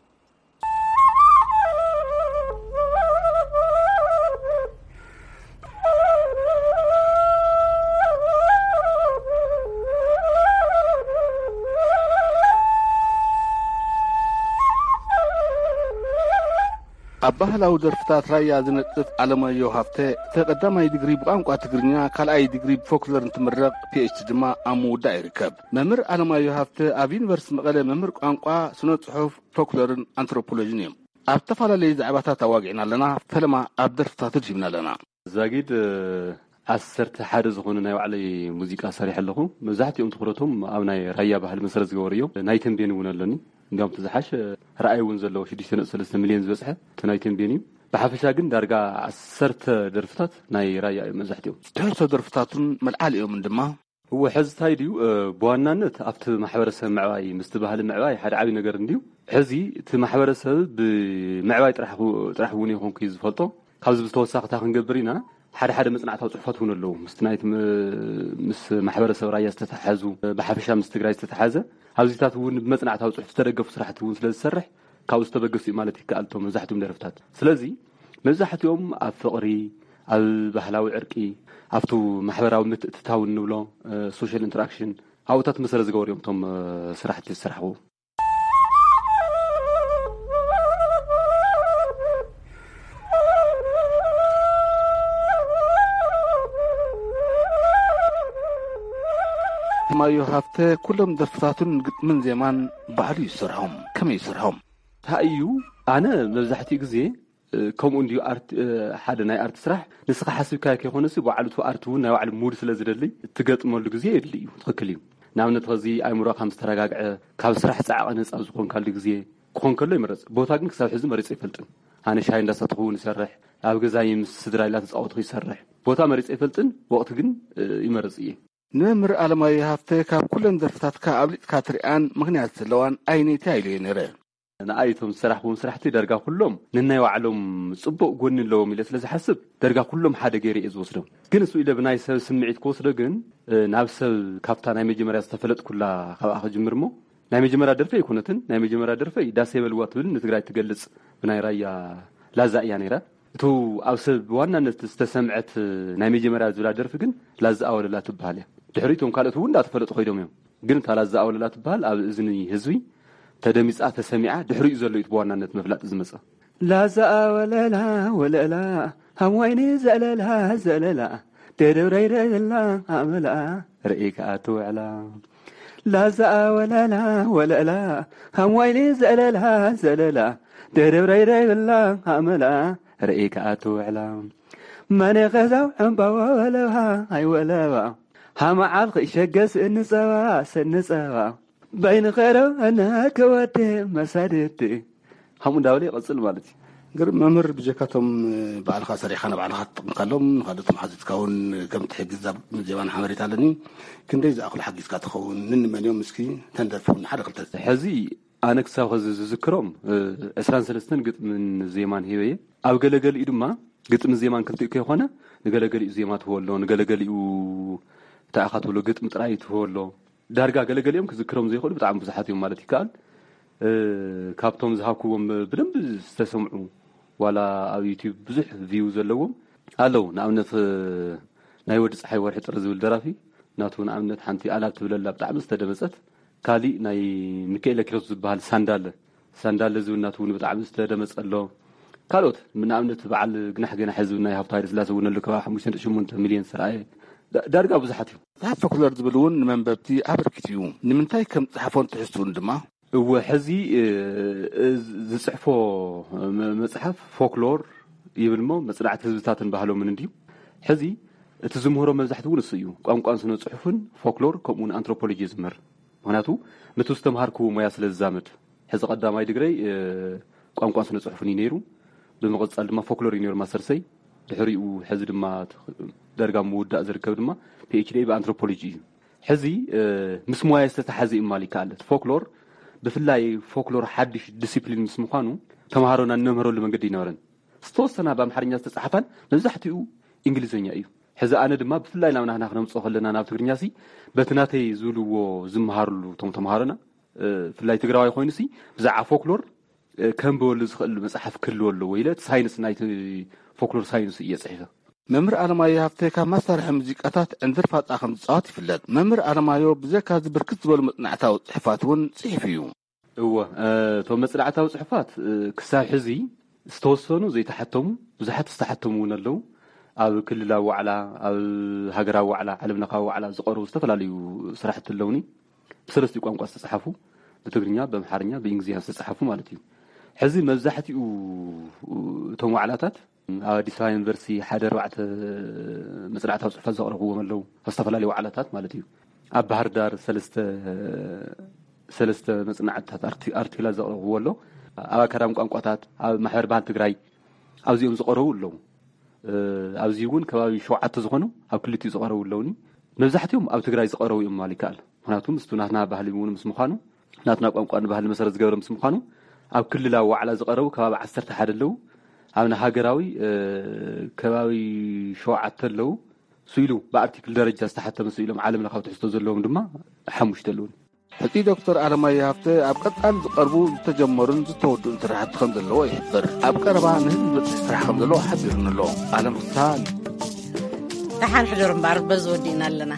ኣብ ባህላዊ ደርፍታት ራያ ዝነጥፍ ኣለማየሁ ሃፍተ፣ ተቐዳማይ ዲግሪ ብቋንቋ ትግርኛ፣ ካልኣይ ዲግሪ ብፎክሎር እንትምረቕ፣ ፒኤችዲ ድማ ኣብ ምውዳእ ይርከብ። መምህር ኣለማየሁ ሃፍተ ኣብ ዩኒቨርሲቲ መቐለ መምህር ቋንቋ፣ ስነ ጽሑፍ፣ ፎክሎርን ኣንትሮፖሎጂን እዮም። ኣብ ዝተፈላለዩ ዛዕባታት ኣዋጊዕና ኣለና። ፈለማ ኣብ ደርፍታቱ ድሂብና ኣለና። ዛጊድ ዓሰርተ ሓደ ዝኾኑ ናይ ባዕለይ ሙዚቃ ሰሪሐ ኣለኹ። መብዛሕትኦም ትኹረቶም ኣብ ናይ ራያ ባህሊ መሰረት ዝገበሩ እዮም። ናይ ተንቤን እውን ኣለኒ። እንዲያውም እቲ ዝሓሽ ርኣይ እውን ዘለዎ ሽዱሽተ ነጥቢ ሰለስተ ሚልዮን ዝበፅሐ እቲ ናይ ተንቤን እዩ። ብሓፈሻ ግን ዳርጋ ዓሰርተ ደርፍታት ናይ ራያ እዮም መብዛሕትኦም። ትሕዝቶ ደርፍታቱን መልዓሊኦምን ድማ እወ፣ ሕዚ እንታይ ድዩ፣ እ፣ ብዋናነት ኣብቲ ማሕበረሰብ ምዕባይ ምስቲ ባህሊ ምዕባይ ሓደ ዓብዪ ነገር እንድዩ። ሕዚ እቲ ማሕበረሰብ ብምዕባይ ጥራሕ ኹ-፣ ጥራሕ እውን ይኹንኩ እዩ ዝፈልጦ። ካብዚ ብዝተወሳኺ እንታይ ክንገብር ኢና፣ ሓደ ሓደ መጽናዕታዊ ጽሑፋት እውን ኣለዉ። ምስቲ ናይቲ ም-፣ ምስ ማሕበረሰብ ራያ ዝተተሓዙ፣ ብሓፈሻ ምስ ትግራይ ዝተተሓዘ፣ ኣብዚታት እውን ብመጽናዕታዊ ጽሑፍ ዝተደገፉ ስራሕቲ እውን ስለ ዝሰርሕ፣ ካብኡ ዝተበገሱ እዩ ማለት ይከኣል፣ እቶም መብዛሕትኦም ደርፍታት። ስለዚ መብዛሕትኦም ኣብ ፍቕሪ፣ ኣብ ባህላዊ ዕርቂ፣ ኣብቱ ማሕበራዊ ምትእትታው እንብሎ፣ እ፣ ሶሻል ኢንተራክሽን፣ ኣብኡታት መሰረት ዝገበሩ እዮም እቶም፣ እ፣ ስራሕቲ ዝስራሕዎ። ማዮ ሃፍተ ኩሎም ደርፍታቱን ግጥምን ዜማን ባዕሉ ይሰርሖም። ከመይ ይሰርሖም? እንታይ እዩ? ኣነ መብዛሕትኡ ግዜ፣ እ፣ ከምኡ እንድዩ ኣርት-፣ እ፣ ሓደ ናይ ኣርት ስራሕ ንስኻ ሓሲብካዮ ከይኮነሲ፣ ባዕሉ እቲ ኣርት እውን ናይ ባዕሉ ሙድ ስለ ዝደሊ፣ እትገጥመሉ ግዜ የድሊ እዩ። ትኽክል እዩ። ንኣብነት፣ ኸዚ ኣእምሮኻ ምስ ተረጋግዐ፣ ካብ ስራሕ ጻዕቒ ነጻ ዝኾንካሉ ግዜ ክኾን ከሎ ይምረጽ። ቦታ ግን ክሳብ ሕዚ መሪጸ ኣይፈልጥን። ኣነ ሻሂ እንዳሰተኹ እውን ይሰርሕ፣ ኣብ ገዛይ ምስ ስድራይ እንዳተጻወትኹ ይሰርሕ። ቦታ መሪጸ ኣይፈልጥን፣ ወቕቲ ግን፣ እ፣ ይመርጽ እየ። ንመምህር ኣለማዮ ሃፍተ ካብ ኩለን ደርፍታትካ ኣብሊጽካ ትሪኣን ምኽንያት ዘለዋን ኣየነይቲ ኢለዮ ነይረ። ንኣይ እቶም ዝሰራሕክዎም ስራሕቲ ዳርጋ ኩሎም ነናይ ባዕሎም ጽቡቕ ጎኒ ኣለዎም ኢለ ስለ ዝሓስብ፣ ዳርጋ ኩሎም ሓደ ገይረ እየ ዝወስዶም። ግን እሱ ኢለ ብናይ ሰብ ስምዒት ክወስዶ ግን፣ እ፣ ናብ ሰብ ካብታ ናይ መጀመርያ ዝተፈለጥኩላ ካብኣ ክጅምር እሞ፣ ናይ መጀመርያ ደርፈይ ኣይኮነትን። ናይ መጀመርያ ደርፈይ ዳሰይ በልዋ ትብል ንትግራይ ትገልጽ ብናይ ራያ ላዛ እያ ነይራ። እቱ ኣብ ሰብ ብዋናነት ዝተሰምዐት ናይ መጀመርያ ዝብላ ደርፊ ግን ላዛ ኣወለላ ትበሃል እያ። ድሕሪኡ እቶም ካልኦት እውን እንዳተፈለጡ ከይዶም እዮም። ግን እታ ላዛ ኣወለላ ትበሃል ኣብ እዝኒ ህዝቢ ተደሚጻ ተሰሚዓ ድሕሪኡ ዘሎ እዩ ብዋናነት መፍላጥ ዝመጸ። ላዛ ኣወለላ ወለላ፣ ሃም ዋይኒ ዘለላ ዘለላ፣ ደደብረይረ ዘላ ኣመላ፣ ርእይ ከኣ ትውዕላ። ላዛ ኣወለላ ወለላ፣ ሃም ዋይኒ ዘለላ ዘለላ፣ ደደብረይረ ዘላ ኣመላ፣ ርእይ ከኣ ትውዕላ። መነ ኸዛው ዕምባባ ወለባ ኣይወለባ፣ ሃመዓል ኸይሸገስ እንጸባ ሰንጸባ፣ በይንኸረው ኣናከወቴ መሳድቴ። ከምኡ እንዳበለ ይቐጽል ማለት እዩ። ግርም መምህር፣ ብጀካቶም ባዕልኻ ሰሪሕካ ንባዕልኻ ትጥቀምካሎም፣ ንኻልኦት ሓዚትካ እውን ከም ትሕግዝ ኣብ ዜማን ሓበሬታ ኣለኒ። ክንደይ ዝኣኽሉ ሓጊዝካ ትኸውን? ንንመን እዮም? እስኪ ተንደርፉ ሓደ ክልተ። ሕዚ ኣነ ክሳብ ኸዚ ዝዝክሮም፣ እ፣ ዕስራን ሰለስተን ግጥምን ዜማን ሂበ እየ። ኣብ ገለገሊኡ ድማ ግጥምን ዜማን ክልቲኡ ከይኾነ፣ ንገለገሊኡ ዜማ ትህቦ ኣሎ፣ ንገለገሊኡ እንታይ ኢኻ ትብሎ፣ ግጥሚ ጥራይ ትህቦ ኣሎ። ዳርጋ ገለገሊኦም ክዝክሮም ዘይኽእሉ ብጣዕሚ ብዙሓት እዮም ማለት ይከኣል። እ፣ ካብቶም ዝሃብኩዎም ብደንቢ ዝተሰምዑ፣ ዋላ ኣብ ዩቲዩብ ብዙሕ ቪው ዘለዎም ኣለዉ። ንኣብነት፣ እ፣ ናይ ወዲ ፀሓይ ወርሒ ጥሪ ዝብል ደራፊ፣ ናቱ ንኣብነት ሓንቲ ኣላብ ትብለላ ብጣዕሚ ዝተደመጸት፣ ካሊእ ናይ ሚካኤል ኪሮስ ዝበሃል ሳንዳለ፣ ሳንዳለ ዝብል ናቱ እውን ብጣዕሚ ዝተደመጸ ኣሎ። ካልኦት ንኣብነት በዓል ግናሕ ገናሐ ዝብል ናይ ሃብቱ ሃይለስላሴ እውን ኣሎ፣ ከባቢ ሓሙሽተ ነጥቢ ሸሞንተ ሚልዮን ዝተረኣየ። ዳ-፣ ዳርጋ ብዙሓት እዮም። መጽሓፍ ፎክሎር ዝብል እውን ንመንበብቲ ኣበርኪቱ እዩ። ንምንታይ ከም ዝጸሓፎን ትሕዝትኡን ድማ? እወ፣ ሕዚ፣ እ፣ እ፣ ዝጽሕፎ መ-፣ መጽሓፍ ፎክሎር ይብል እሞ መጽናዕቲ ህዝብታትን ባህሎምን እንድዩ። ሕዚ እቲ ዝምህሮ መብዛሕትኡ እውን እሱ እዩ። ቋንቋን ስነ ጽሑፍን ፎክሎር ከምኡ እውን ኣንትሮፖሎጂ እዩ ዝምህር። ምኽንያቱ ነቲ ዝተምሃርክዎ ሞያ ስለ ዝዛመድ። ሕዚ ቀዳማይ ድግረይ፣ እ፣ ቋንቋን ስነ ጽሑፍን እዩ ነይሩ። ብምቕጻል ድማ ፎክሎር እዩ ነይሩ ማስተርሰይ። ድሕሪኡ ሕዚ ድማ ት-፣ ደርጋ ምውዳእ ዝርከብ ድማ ፒ ኤች ዲ ብኣንትሮፖሎጂ እዩ። ሕዚ፣ እ፣ ምስ ሞያይ ዝተተሓዘ እዩ ምባል ይከኣል። እቲ ፎክሎር፣ ብፍላይ ፎክሎር ሓድሽ ዲሲፕሊን ምስ ምዃኑ፣ ተምሃሮና እንመምህረሉ መንገዲ ኣይነበረን። ዝተወሰና ብኣምሓርኛ ዝተጻሕፋን መብዛሕትኡ እንግሊዝኛ እዩ። ሕዚ ኣነ ድማ ብፍላይ ናብ ናህና ክነምጽኦ ከለና ናብ ትግርኛሲ፣ በቲ ናተይ ዝብልዎ ዝመሃርሉ እቶም ተምሃሮና፣ እ፣ ብፍላይ ትግራዋይ ኮይኑሲ ብዛዕባ ፎክሎር፣ እ፣ ከንብበሉ ዝኽእል መጽሓፍ ክህልዎ ኣለዎ ኢለ እቲ ሳይንስ ናይቲ ፎክሎር ሳይንስ እየ ጽሒፈ። መምህር ኣለማዮ ሃፍተ ካብ መሳርሒ ሙዚቃታት ዕንድር ፋጻ ከም ዝጻወት ይፍለጥ። መምህር ኣለማዮ ብዘካ እዚ ብርክት ዝበሉ መጽናዕታዊ ጽሑፋት እውን ጽሒፉ እዩ። እወ፣ እ፣ እቶም መጽናዕታዊ ጽሑፋት፣ እ፣ ክሳብ ሕዚ ዝተወሰኑ ዘይተሓተሙ፣ ብዙሓት ዝተሓተሙ እውን ኣለዉ። ኣብ ክልላዊ ዋዕላ፣ ኣብ ሃገራዊ ዋዕላ፣ ዓለም ለኻዊ ዋዕላ ዝቐርቡ ዝተፈላለዩ ስራሕቲ ኣለውኒ። ብሰለስቲኡ ቋንቋ ዝተጻሓፉ፣ ብትግርኛ፣ ብኣምሓርኛ፣ ብእንግሊዝኛ ዝተጻሓፉ ማለት እዩ። ሕዚ መብዛሕትኡ እቶም ዋዕላታት ኣብ ኣዲስ ኣበባ ዩኒቨርሲቲ ሓደ ኣርባዕተ መጽናዕታዊ ጽሑፋት ዘቕረብዎም ኣለዉ፣ ኣብ ዝተፈላለዩ ዋዕላታት ማለት እዩ። ኣብ ባህር ዳር ሰለስተ፣ ሰለስተ መጽናዕትታት ኣርቲ-፣ ኣርቲክላት ዘቕረብዎ ኣሎ። ኣብ ኣካዳሚ ቋንቋታት፣ ኣብ ማሕበር ባህል ትግራይ፣ ኣብዚኦም ዝቐረቡ ኣለዉ። እ፣ ኣብዚ እውን ከባቢ ሸውዓተ ዝኾኑ ኣብ ክልቲኡ ዝቐረቡ ኣለዉኒ። መብዛሕትኦም ኣብ ትግራይ ዝቐረቡ እዮም ምባል ይከኣል። ምኽንያቱ ምስቱ ናትና ባህሊ እውን ምስ ምዃኑ፣ ናትና ቋንቋን ባህሊ መሰረት ዝገበረ ምስ ምዃኑ፣ ኣብ ክልላዊ ዋዕላ ዝቐረቡ ከባቢ ዓሰርተ ሓደ ኣለዉ። ኣብና ሃገራዊ ከባቢ ሸውዓተ ኣለዉ። ስኢሉ ብኣርቲክል ደረጃ ዝተሓተመ ስኢሎም ዓለም ለኻዊ ትሕዝቶ ዘለዎም ድማ ሓሙሽተ ኣለዉን። ሕጺ ዶክተር ኣለማየ ሃብተ ኣብ ቀጻሊ ዝቐርቡ ዝተጀመሩን ዝተወድኡን ስራሕቲ ከም ዘለዎ ይሕብር። ኣብ ቀረባ ንህዝቢ ዝበጽሕ ስራሕ ከም ዘለዎ ሓቢሩን ኣሎ። ኣለም ፍስሃ። ደሓን ሕደሩ እምበኣር በዚ ወዲእና ኣለና።